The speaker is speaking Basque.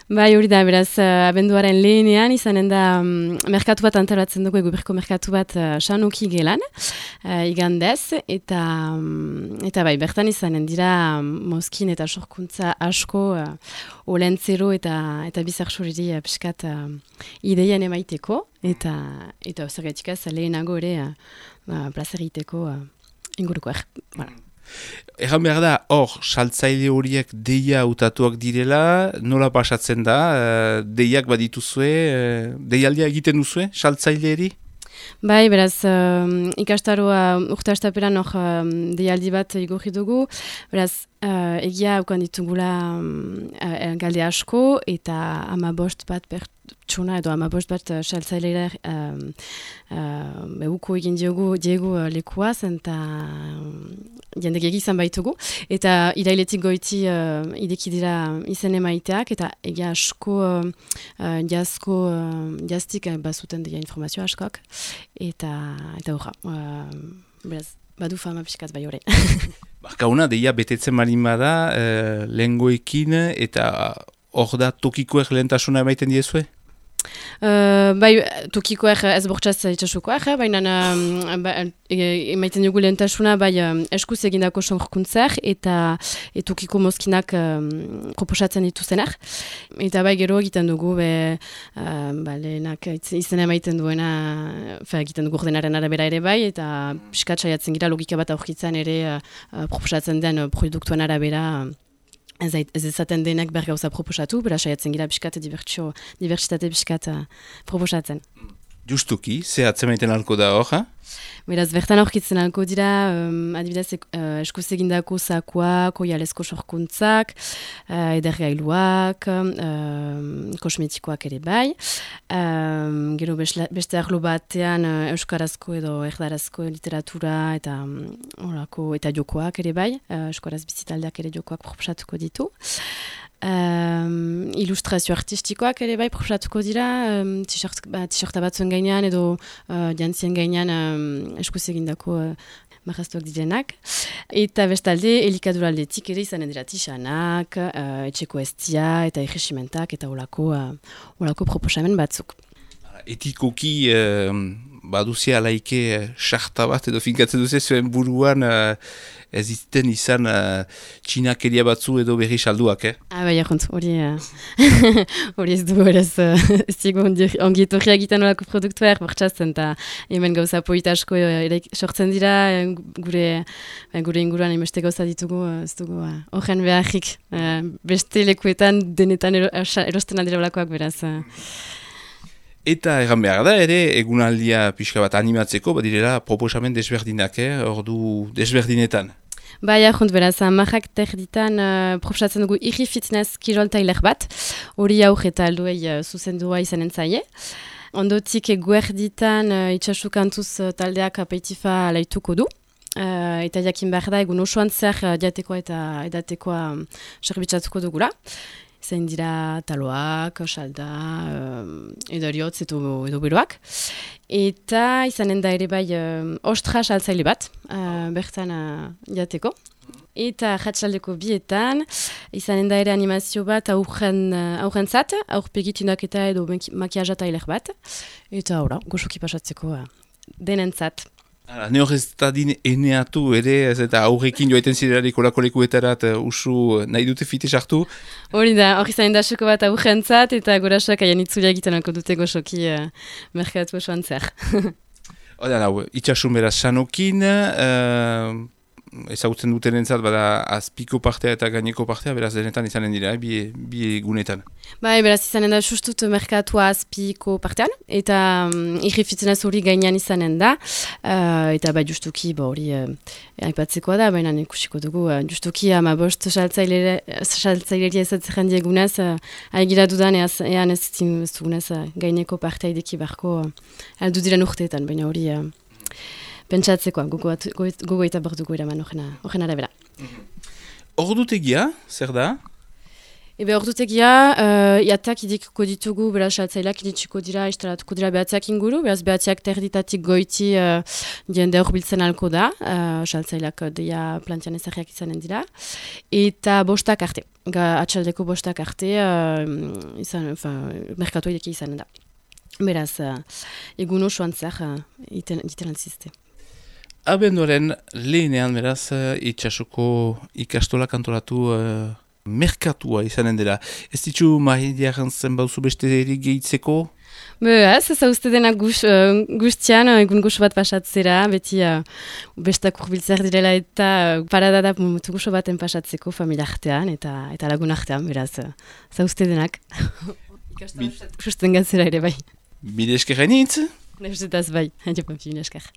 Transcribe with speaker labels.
Speaker 1: Bai, hori da, beraz, abenduaren lehenean izanen da merkatu bat antolatzen dugu, Eguberriko merkatu bat Sanoki gelan, igandez, eta bai, bertan izanen dira mozkin eta sorkuntza asko olentzero eta bizarxuriri piskat ideien emaiteko, eta zergatik ez lehenago ere plazer egiteko ingurukoak. Voilà.
Speaker 2: Egan behar da, hor, saltzaile horiek deia hautatuak direla, nola pasatzen da, deiak badituzue, deialdia egiten duzue, saltzaileeri?
Speaker 1: Bai, beraz, ikastaroa urte astaperan hor deialdi bat igorri dugu, beraz, egia haukan ditugula galde asko, eta 15 bat pertsona edo 15 bat saltzailera uko egin diegu lekuaz, eta jendek egizan baitugu, eta irailetik goiti ideki dira izen emaiteak, eta egia asko jaztik bazuten dira informazio askok, eta horra, beraz, badu fama piskat bai hori.
Speaker 2: Barkauna, deia betetzen marin bada, lehengoekin, eta hor da tokikoek lehentasuna emaiten diezue?
Speaker 1: Bai, tokikoek ez bortxaz itxasukoak, baina emaiten dugu lehentasuna bai eskuz egindako sorkuntzak eta tokiko mozkinak proposatzen dituzenak. Eta bai gero egiten dugu, lehenak izena emaiten duena, egiten dugu ordenaren arabera ere bai, eta piskat saiatzen gira logika bat aurkitzen ere proposatzen den produktuan arabera. Ez ezaten denek bergauza proposatu, bera saiatzen gira piskat dibertsitate piskat proposatzen.
Speaker 2: Justuki, ze atzemaiten alko da hor, ha?
Speaker 1: Beraz, bertan aurkitzen alko dira, adibidez, eskuz egindako sakoak, oialezko sorkuntzak, edergailuak, kosmetikoak ere bai. Gero beste arlo batean euskarazko edo erdarazko literatura eta jokoak ere bai, euskaraz bizitaldeak ere jokoak proposatuko ditu. Ilustrazio artistikoak ere bai proposatuko dira, t-shirta batzuen gainean edo jantzien gainean eskuz egindako marraztuak direnak. Eta bestalde, elikaduraldetik ere izanen dira tixanak, etxeko estia eta egesimentak eta olako proposamen batzuk.
Speaker 2: Etikoki baduzia alaike sarta bat edo finkatzen duze zuen buruan ez iten izan txinakeria batzu edo berri salduak,
Speaker 1: Bai, ahont, hori ez dugu eraz ez dugu ongi etorria egiten olako produktuak bortxatzen eta hemen gauza poita asko sortzen dira gure inguruan emeste gauza ditugu ez dugu horren beharrik beste lekuetan denetan erosten aldira olakoak beraz.
Speaker 2: Eta egan behar da ere, egunaldia pixka bat animatzeko, badirela proposamen desberdinak, ordu desberdinetan.
Speaker 1: Bai, ahont, beraz, marrak terditan proposatzen dugu irri fitness kirol tailer bat, hori auk eta alduei zuzendua izanen zaie. Ondotik guerditan itxasukantuz taldeak apeitifa alaituko du. Eta jakin behar da, egun osoan zer diatekoa eta edatekoa serbitzatuko dugula. Zain dira taloak, salda, edariotz edo beroak. Eta izanen da ere bai ostra saltzaile bat, bertan jateko. Eta jatsaldeko bietan, izanen da ere animazio bat aurrentzat, aurpegitunak eta edo makiaja tailer bat. Eta ora, goxoki pasatzeko denentzat.
Speaker 2: Ne hor ez da din eneatu ere, ez eta aurrekin joaiten zirelarik olako lekuetarat usu nahi dute fite sartu?
Speaker 1: Hori da, hori zain da soko bat aurrentzat eta gorasak aian itzulia egiten alko dute goxoki merkatu osoan zer.
Speaker 2: Hora, itxasun beraz Sanokin, ezagutzen duten entzat, bada azpiko partea eta gaineko partea, beraz denetan izanen dira, bi egunetan.
Speaker 1: Bai, beraz izanen da justut merkatua azpiko partean, eta irri fitness hori gainean izanen da, eta bai justuki hori aipatzekoa da, baina ikusiko dugu, justuki 15 saltzaileri ezatzen diegunez, haigira dudan ean ez dugunez gaineko partea ideki barko aldu diren urteetan, baina hori pentsatzeko, gogo eta borduko eraman horren arabera.
Speaker 2: Ordutegia, zer da?
Speaker 1: Ebe ordutegia, iatak idikiko ditugu, beraz, saltzaileak iditsiko dira, instalatuko dira behatziak inguru, beraz, behatziak terditatik goiti jende horbiltzen alko da, saltzaileak deia plantian ezarriak izanen dira, eta bostak arte, atxaldeko bostak arte, merkatu ideki izanen da. Beraz, egun osoan zer, iten altzizte.
Speaker 2: Abenduaren lehenean, beraz, itxasuko ikastolak antolatu merkatua izanen dela. Ez ditzu mahidiaren zen bauzu beste erik gehitzeko?
Speaker 1: Ez uste dena guztian, egun goxo bat pasatzera, beti bestak urbiltzer direla eta parada da momentu goxo baten pasatzeko familia artean eta lagun artean, beraz, uste denak. Ikastola susten gantzera ere bai.
Speaker 2: Bide eskerra nintz?
Speaker 1: Neuzetaz bai, hain jopan fi, esker.